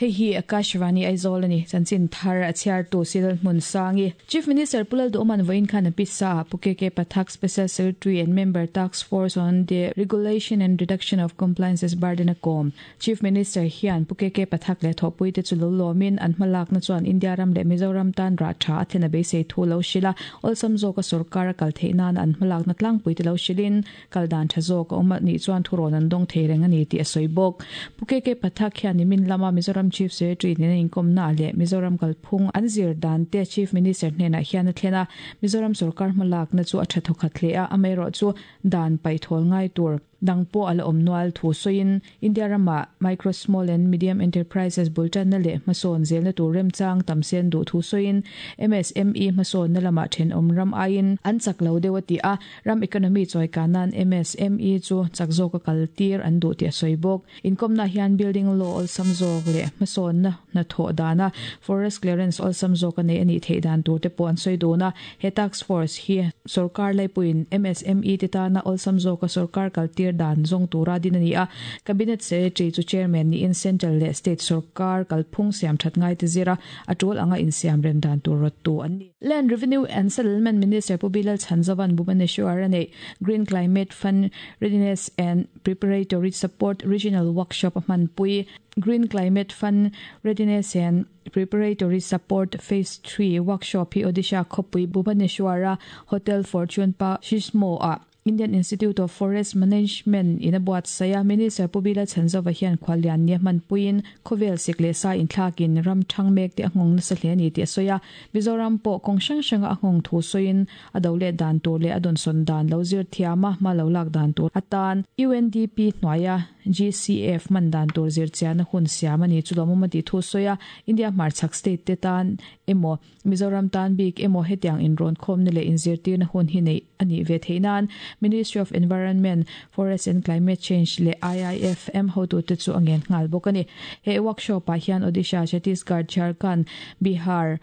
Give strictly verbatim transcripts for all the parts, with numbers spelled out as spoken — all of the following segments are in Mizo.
Hei hi Akashvani Aizawl ani chanchin thar a chhiar tu Sidal Hmun Sangi. Chief Minister Pu Lalduhoma'n vawiin khan a pisa a Pu K K Pathak Special Secretary and Member Task Force on the Regulation and Reduction of Compliances Burden a kawm. Chief Minister hian Pu K K Pathak leh thawhpui te chu lo lawmin an hmalakna chuan India ram leh Mizoram tan rah tha a thlen a beisei thu lo hrilh a, awlsam zawka sorkar a kal theih nan an hmalakna tlangpui te lo hrilhin kal dan tha zawk a awm a nih chuan thurawn an dawng thei reng a ni tih a sawi bawk. Pu K K Pathak hian nimin lama Mizoram Chief Secretary nena inkawmna leh Mizoram kalphung an zir dan te Chief Minister hnenah hian a thlen a, Mizoram sorkar hmalakna chu a tha thawkhat hle a, amaherawh chu dan paithawl ngai tur dang pawh a la awm nual thu sawiin India ramah Micro, Small and Medium Enterprises bul tanna leh hmasawn zelna tur remchang tam sen duh thu sawiin M S M E hmasawnna lamah thenawm ram aiin an chak lo deuh a ti a, ram economy chawika nan M S M E chu chak zawka kal tir an duh tih a sawi bawk. Inkawmna hian building law awlsam zawk leh hmasawnna hnathawh dana forest clearance awlsam zawk a nei a nih theih dan tur te pawh an sawi dun a, he task force hi sorkar laipuiin M S M E te tana awlsam zawka sorkar kal tir dan zawng tura din a ni a, cabinet secretary chu chairman niin central leh state sorkar kalphung siam that ngai te zira a tul anga insiam rem dan tur rawt tu an ni. Land Revenue and Settlement Minister Pu Bilal Chhanzova'n Bhubaneswar a nei Green Climate Fund Readiness and Preparatory Support Regional Workshop a hmanpui. Green Climate Fund Readiness and Preparatory Support Phase three Workshop hi Odisha khawpui Bhubaneswar a Hotel Fortune Pa Shismo a Indian Institute of Forest Management in a buatsaia Minister Pu Bilal Chhanzova hian khwalian ni hmanpuiin khawvel sik leh sa inthlakin ram thang mek te a nghawng nasa hle ani tih a sawi a, Mizoram pawh kawng hrang hranga a nghawng thu sawiin a do leh dan tur leh a dawnsawn dan lo zir thiam a hma lo lak dan tur atan U N D P hnuaia G C F man dan tur zir chian a hun siam ani chu lawmawm a tih thu sawi a, India hmarchhak state te tan emaw Mizoram tan bik emaw hetiang inrawn khawmna leh inzirtirna hun hi nei ani ve theih nan Ministry of Environment, Forest and Climate Change leh I I F M hotu te chu a ngen nghal bawk ani. He workshop ah hian Odisha, Chhattisgarh, Jharkhand, Bihar,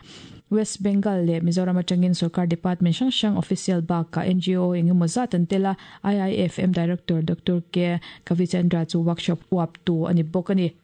West Bengal leh Mizoram atangin sarkar department hrang hrang official bak ka N G O engemaw zat an tela I I F M Director Doctor K Kavichandra chu workshop uap tu ani bawk ani.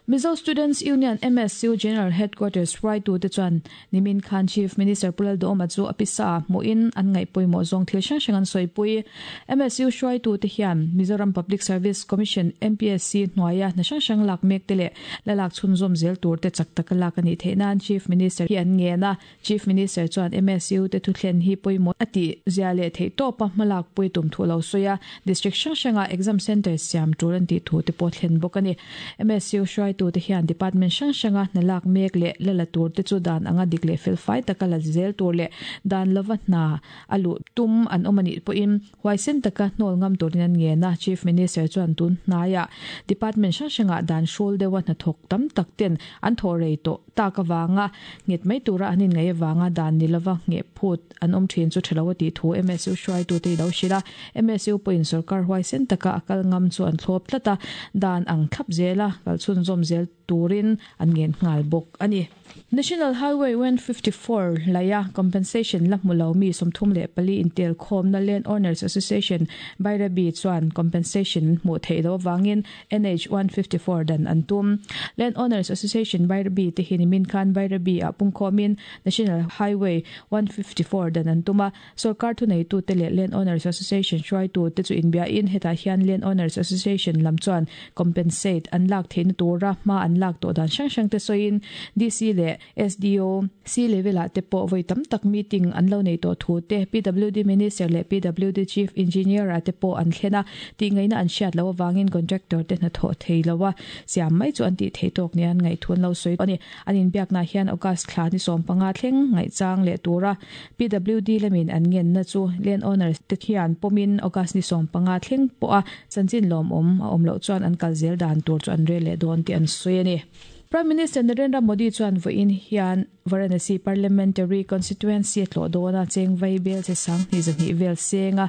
Mizo Students Union M S U General Headquarters hruaitu te chuan nimin khan Chief Minister Pu Lalduhoma chu a pisa hmuhin an ngaihpawimawh zawng thil hrang hrang an sawipui. M S U hruaitu te hian Mizoram Public Service Commission M P S C hnuaia hna hrang hrang lak mek te leh lalak chhunzawm zel tur te chak taka lak ani theih nan Chief Minister hi an ngen a. Chief Minister chuan M S U te thutthlen hi pawimawh a tih zia leh theih tawpa hmalak pui tum thu lo sawi a, district hrang hranga exam center siam tur an tih thu te pawh thlen bawk ani. M S U hruaitu te hian department hrang hranga hna lak mek leh lala tur te chu dan anga dik leh fel fai taka la zel tur leh dan lova hna a luh tum an awm ani pawhin huaisen taka hnawl ngam turin an ngen a. Chief Minister chuan tun hnaia department hrang hranga dan hrul deuha hna thawk tam tak ten an thaw rei tawh tak awanga nget mai tura an in ngai awanga dan ni lova nge phut an awm thin chu thalo ti thu M S U hruaitu te lo hrila. M S U pawhin sarkar huaisen taka a kal ngam chu an thlawp tlat a, dan ang thlap zela kal chhun zawm zel turin an ngen nghal bawk ani. National Highway one fifty-four laya compensation la hmulo mi sawmthum leh pali intel khawmna Land Owners Association Bairabi chuan compensation hmuh theih lo awangin N H one fifty-four dan an tum. Land Owners Association Bairabi te hi nimin khan Bairabi ah pungkhawmin National Highway one fifty-four dan an tum a, sarkar thuneitu te leh Land Owners Association hruaitu te chu inbiain hetah hian Land Owners Association lam chuan compensate an lak theihna tura hma an lak tawh dan hrang hrang te sawiin D C leh S D O C level ah te pawh voi tam tak meeting an lo nei tawh thu te P W D Minister leh P W D Chief Engineer ah te pawh an thlen a, tih ngaihna an hriat lo awangin contractor te hna thawh thei lo a, siam mai chu an tih thei tawk ni an ngaihthun lo sawi ani. An inbiakna hian August thla ni sawm panga thleng ngaihchang leh tura P W D lamin an ngenna chu land owners te hian pawmin August ni sawm panga thleng pawh a chanchin lawm awm a awm loh chuan an kal zel dan tur chu an rel leh dawn tih an sawi ani. Prime Minister Narendra Modi chuan vawiin hian Varanasi Parliamentary Constituency tlawh dawna cheng vai bel che sang hnih zahnih vel senga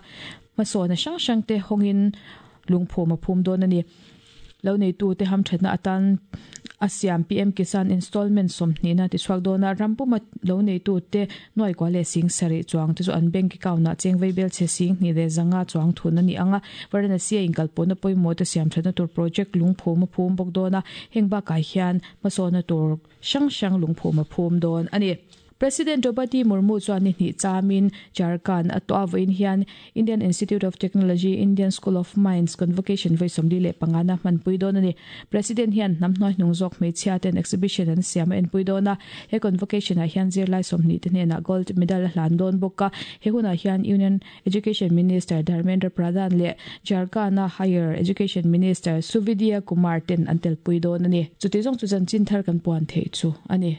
hmasawn hrang hrang te hawngin lungphum a phum dawn ani. Lo neitu te hamthatna atan a siam P M Kisan installment sawmhnihna tichhuak dawna rampuma lo neitu te nuai kua leh sing sarih chuang te chu an bank account ah cheng vaibel chhe sing hnih leh zanga chuang thun ani anga. Varanasi a inkalpawhna pawimawh te siam thatna tur project lungphum a phum bawk dawna heng bakah hian hmasawna tur hrang hrang lungphum a phum dawn ani. President Draupadi Murmu chuan ni hnih chamin Jharkhand a to avoin hian Indian Institute of Technology, Indian School of Mines Convocation voi sawmli leh pangana hmanpui dawn ani. President hian hnam hnuai hnung zawk hmeichhia ten exhibition an siam a enpui dawn a. He convocation ah hian zirlai sawmhnih te hnenah gold medal a hlan dawn bawk a. He hunah hian Union Education Minister Dharmendra Pradhan leh Jharkhand a Higher Education Minister Suvidya Kumar ten an telpui dawn ani. Chuti zawng chu chanchin thar kan puan theih chu ani.